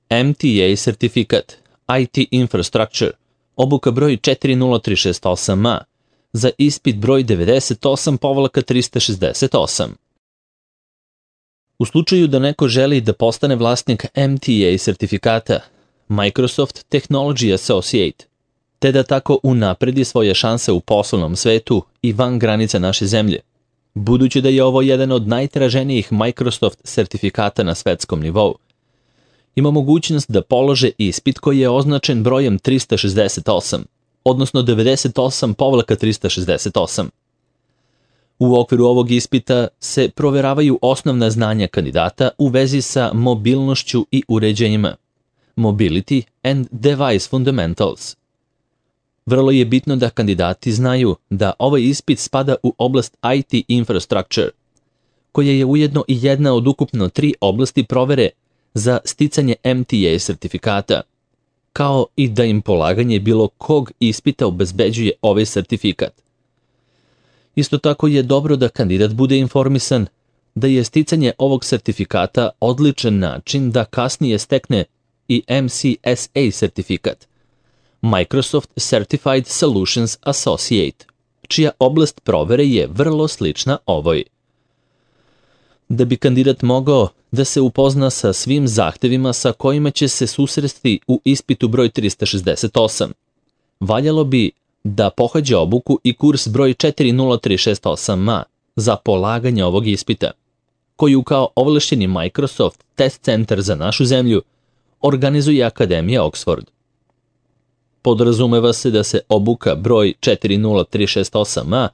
MTA sertifikat, IT Infrastructure, obuka broj 40368A, za ispit broj 98-368. U slučaju da neko želi da postane vlasnik MTA sertifikata, Microsoft Technology Associate, te da tako unapredi svoje šanse u poslovnom svetu i van granica naše zemlje, budući da je ovo jedan od najtraženijih Microsoft sertifikata na svetskom nivou, ima mogućnost da polože ispit koji je označen brojem 368, odnosno 98-368. U okviru ovog ispita se proveravaju osnovna znanja kandidata u vezi sa mobilnošću i uređajima, Mobility and Device Fundamentals. Vrlo je bitno da kandidati znaju da ovaj ispit spada u oblast IT Infrastructure, koja je ujedno i jedna od ukupno 3 oblasti provere za sticanje MTA sertifikata, kao i da im polaganje bilo kog ispita obezbeđuje ovaj sertifikat. Isto tako je dobro da kandidat bude informisan da je sticanje ovog sertifikata odličan način da kasnije stekne i MCSA sertifikat, Microsoft Certified Solutions Associate, čija oblast provere je vrlo slična ovoj. Da bi kandidat mogao da se upozna sa svim zahtevima sa kojima će se susresti u ispitu broj 368, valjalo bi da pohađa obuku i kurs broj 40368A za polaganje ovog ispita, koju kao ovlašćeni Microsoft Test Center za našu zemlju organizuje Akademija Oxford. Podrazumeva se da se obuka broj 40368A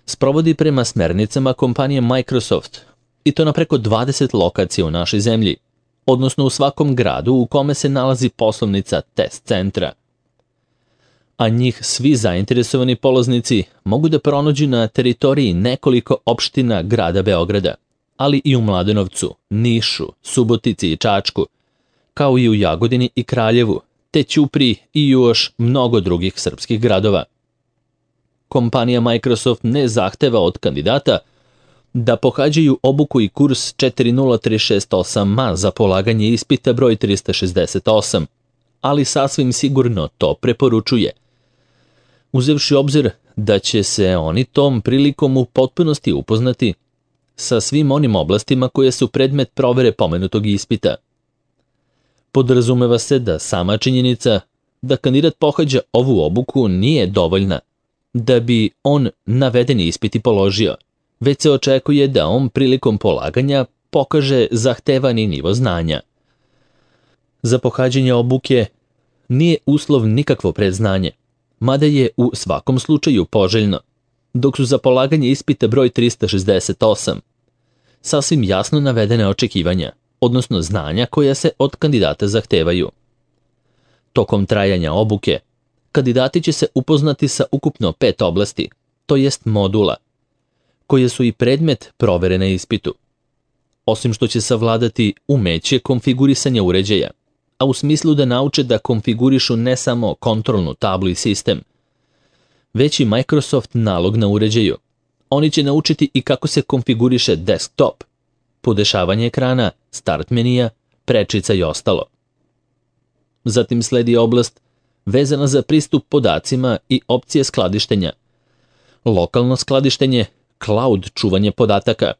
sprovodi prema smernicama kompanije Microsoft, i to na preko 20 lokacija u našoj zemlji, odnosno u svakom gradu u kome se nalazi poslovnica test centra. A njih svi zainteresovani polaznici mogu da pronađu na teritoriji nekoliko opština grada Beograda, ali i u Mladenovcu, Nišu, Subotici i Čačku, kao i u Jagodini i Kraljevu, te Ćupriji i još mnogo drugih srpskih gradova. Kompanija Microsoft ne zahteva od kandidata da pohađaju obuku i kurs 40368A za polaganje ispita broj 368, ali sasvim sigurno to preporučuje, uzevši obzir da će se oni tom prilikom u potpunosti upoznati sa svim onim oblastima koje su predmet provere pomenutog ispita. Podrazumeva se da sama činjenica da kandidat pohađa ovu obuku nije dovoljna da bi on navedeni ispit i položio, već se očekuje da on prilikom polaganja pokaže zahtevani nivo znanja. Za pohađanje obuke nije uslov nikakvo predznanje, mada je u svakom slučaju poželjno, dok su za polaganje ispita broj 368 sasvim jasno navedene očekivanja, odnosno znanja koja se od kandidata zahtevaju. Tokom trajanja obuke, kandidati će se upoznati sa ukupno 5 oblasti, to jest modula, koje su i predmet provere na ispitu. Osim što će savladati umeće konfigurisanja uređaja, a u smislu da nauče da konfigurišu ne samo kontrolnu tablu i sistem, već i Microsoft nalog na uređaju. Oni će naučiti i kako se konfiguriše desktop, podešavanje ekrana, start menija, prečica i ostalo. Zatim sledi oblast vezana za pristup podacima i opcije skladištenja, lokalno skladištenje, cloud čuvanje podataka,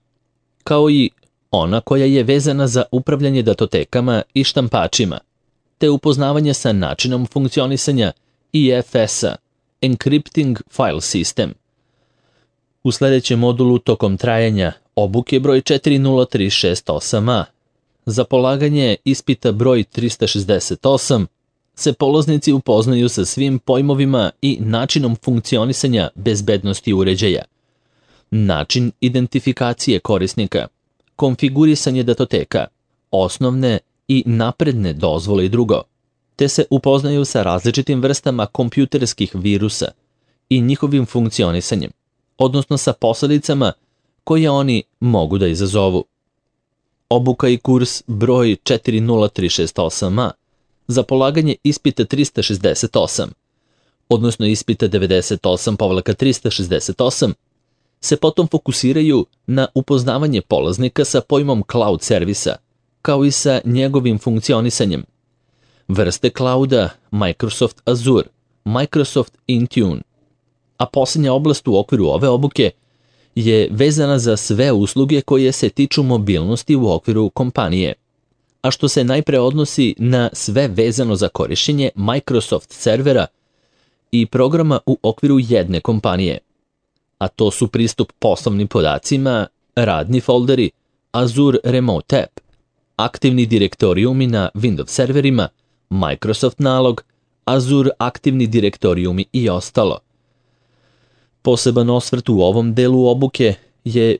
kao i ona koja je vezana za upravljanje datotekama i štampačima, te upoznavanje sa načinom funkcionisanja IFS-a, Encrypting File System. U sljedećem modulu tokom trajanja obuke broj 40368A za polaganje ispita broj 368 se polaznici upoznaju sa svim pojmovima i načinom funkcionisanja bezbednosti uređaja, način identifikacije korisnika, konfigurisanje datoteka, osnovne i napredne dozvole i drugo, te se upoznaju sa različitim vrstama kompjuterskih virusa i njihovim funkcionisanjem, odnosno sa posledicama koje oni mogu da izazovu. Obuka i kurs broj 40368A za polaganje ispita 368, odnosno ispita 98-368, se potom fokusiraju na upoznavanje polaznika sa pojmom cloud servisa, kao i sa njegovim funkcionisanjem. Vrste clouda Microsoft Azure, Microsoft Intune, a posljednja oblast u okviru ove obuke je vezana za sve usluge koje se tiču mobilnosti u okviru kompanije, a što se najpre odnosi na sve vezano za korištenje Microsoft servera i programa u okviru jedne kompanije, a to su pristup poslovnim podacima, radni folderi, Azure Remote App, aktivni direktorijumi na Windows serverima, Microsoft nalog, Azure aktivni direktorijumi i ostalo. Poseban osvrt u ovom delu obuke je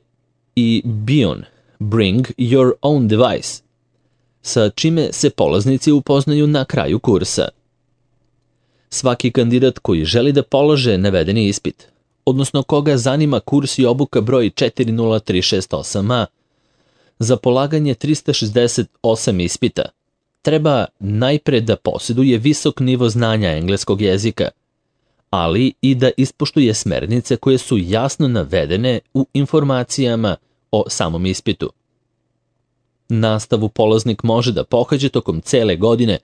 i BYON, Bring Your Own Device, sa čime se polaznici upoznaju na kraju kursa. Svaki kandidat koji želi da polože navedeni ispit, odnosno koga zanima kurs i obuka broj 40368A, za polaganje 368 ispita, treba najpre da posjeduje visok nivo znanja engleskog jezika, ali i da ispoštuje smernice koje su jasno navedene u informacijama o samom ispitu. Nastavu polaznik može da pohađa tokom cele godine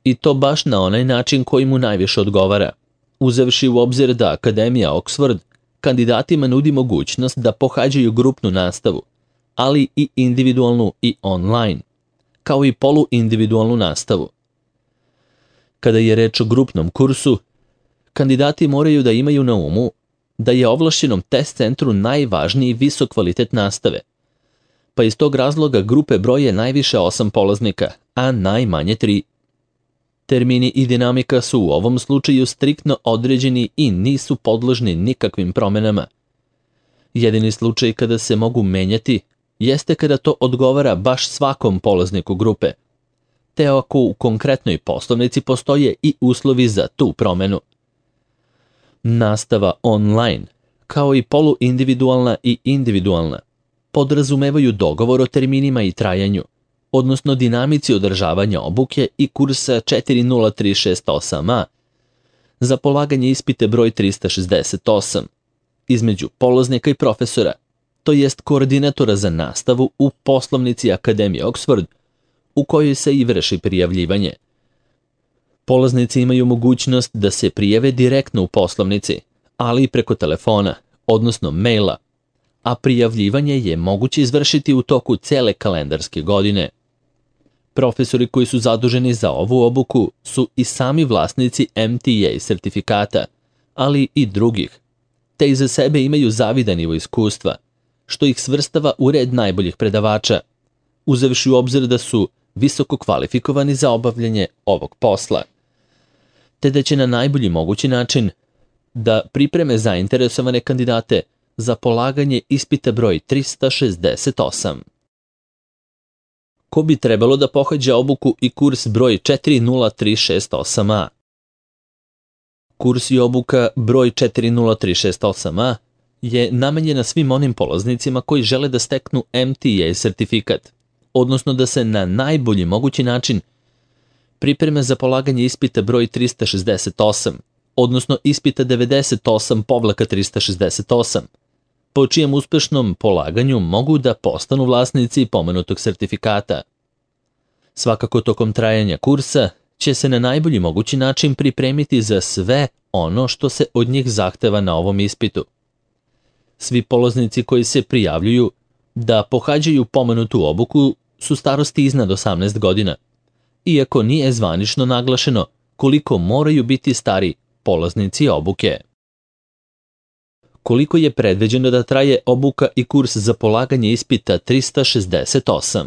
i to baš na onaj način koji mu najviše odgovara, uzevši u obzir da Akademija Oxford kandidatima nudi mogućnost da pohađaju grupnu nastavu, ali i individualnu i online, kao i poluindividualnu nastavu. Kada je reč o grupnom kursu, kandidati moraju da imaju na umu da je ovlašćenom test centru najvažniji visok kvalitet nastave, pa iz tog razloga grupe broje najviše 8 polaznika, a najmanje 3. Termini i dinamika su u ovom slučaju striktno određeni i nisu podložni nikakvim promenama. Jedini slučaj kada se mogu menjati jeste kada to odgovara baš svakom polazniku grupe, te ako u konkretnoj poslovnici postoje i uslovi za tu promenu. Nastava online, kao i poluindividualna i individualna, podrazumevaju dogovor o terminima i trajanju, odnosno dinamici održavanja obuke i kursa 40368A za polaganje ispite broj 368 između polaznika i profesora, to jest koordinatora za nastavu u poslovnici Akademije Oxford, u kojoj se i vrši prijavljivanje. Polaznici imaju mogućnost da se prijave direktno u poslovnici, ali i preko telefona, odnosno maila, a prijavljivanje je moguće izvršiti u toku cele kalendarske godine. Profesori koji su zaduženi za ovu obuku su i sami vlasnici MTA sertifikata, ali i drugih, te iza sebe imaju zavidan nivo iskustva, što ih svrstava u red najboljih predavača, uzevši u obzir da su visoko kvalifikovani za obavljanje ovog posla, te da će na najbolji mogući način da pripreme zainteresovane kandidate za polaganje ispita broj 368. Ko bi trebalo da pohađa obuku i kurs broj 40368A? Kurs i obuka broj 40368A je namenjena svim onim polaznicima koji žele da steknu MTA sertifikat, odnosno da se na najbolji mogući način pripreme za polaganje ispita broj 368, odnosno ispita 98/368, po čijem uspešnom polaganju mogu da postanu vlasnici pomenutog sertifikata. Svakako tokom trajanja kursa će se na najbolji mogući način pripremiti za sve ono što se od njih zahteva na ovom ispitu. Svi polaznici koji se prijavljuju da pohađaju pomenutu obuku su starosti iznad 18 godina, iako nije zvanično naglašeno koliko moraju biti stari polaznici obuke. Koliko je predviđeno da traje obuka i kurs za polaganje ispita 368?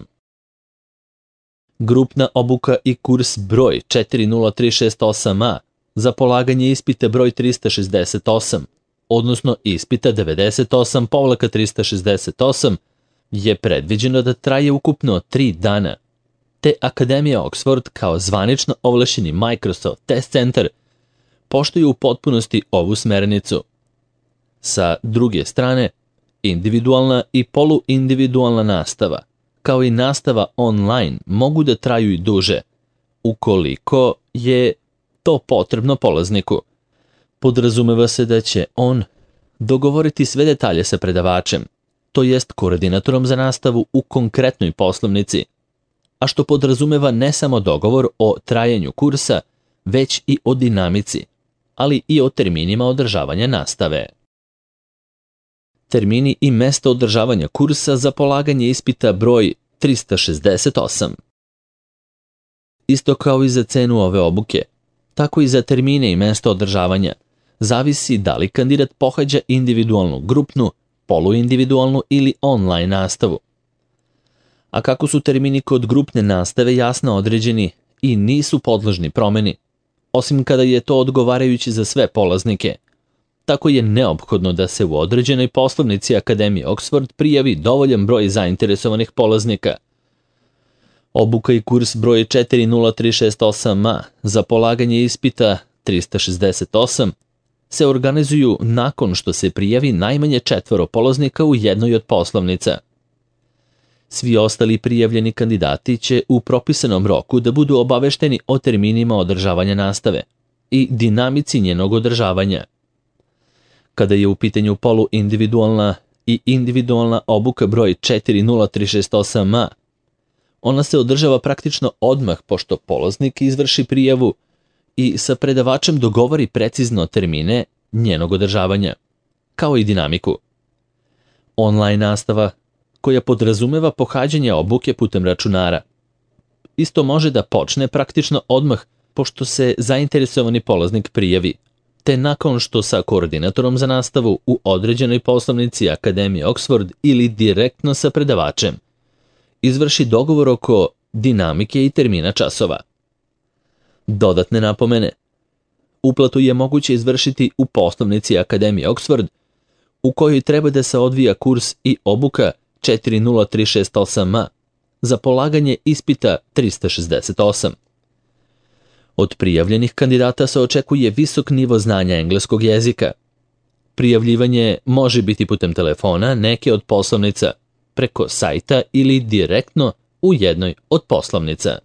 Grupna obuka i kurs broj 40368A za polaganje ispita broj 368, odnosno ispita 98/368, je predviđeno da traje ukupno 3 dana, te Akademija Oxford kao zvanično ovlašćeni Microsoft Test Center poštuju u potpunosti ovu smernicu. Sa druge strane, individualna i poluindividualna nastava, kao i nastava online, mogu da traju i duže, ukoliko je to potrebno polazniku. Podrazumeva se da će on dogovoriti sve detalje sa predavačem, to jest koordinatorom za nastavu u konkretnoj poslovnici, a što podrazumeva ne samo dogovor o trajanju kursa, već i o dinamici, ali i o terminima održavanja nastave. Termini i mesto održavanja kursa za polaganje ispita broj 368. Isto kao i za cenu ove obuke, tako i za termine i mesto održavanja, zavisi da li kandidat pohađa individualnu, grupnu, poluindividualnu ili online nastavu. A kako su termini kod grupne nastave jasno određeni i nisu podložni promeni, osim kada je to odgovarajući za sve polaznike, tako je neophodno da se u određenoj poslovnici Akademije Oxford prijavi dovoljan broj zainteresovanih polaznika. Obuka i kurs broj 40368A za polaganje ispita 368 se organizuju nakon što se prijavi najmanje 4 polaznika u jednoj od poslovnica. Svi ostali prijavljeni kandidati će u propisanom roku da budu obavešteni o terminima održavanja nastave i dinamici njenog održavanja. Kada je u pitanju poluindividualna i individualna obuka broj 40368A, ona se održava praktično odmah pošto polaznik izvrši prijavu i sa predavačem dogovori precizno termine njenog održavanja, kao i dinamiku. Online nastava, koja podrazumeva pohađanje obuke putem računara, isto može da počne praktično odmah pošto se zainteresovani polaznik prijavi, te nakon što sa koordinatorom za nastavu u određenoj poslovnici Akademije Oxford ili direktno sa predavačem izvrši dogovor oko dinamike i termina časova. Dodatne napomene. Uplatu je moguće izvršiti u poslovnici Akademije Oxford, u kojoj treba da se odvija kurs i obuka 40368A za polaganje ispita 368. Od prijavljenih kandidata se očekuje visok nivo znanja engleskog jezika. Prijavljivanje može biti putem telefona neke od poslovnica, preko sajta ili direktno u jednoj od poslovnica.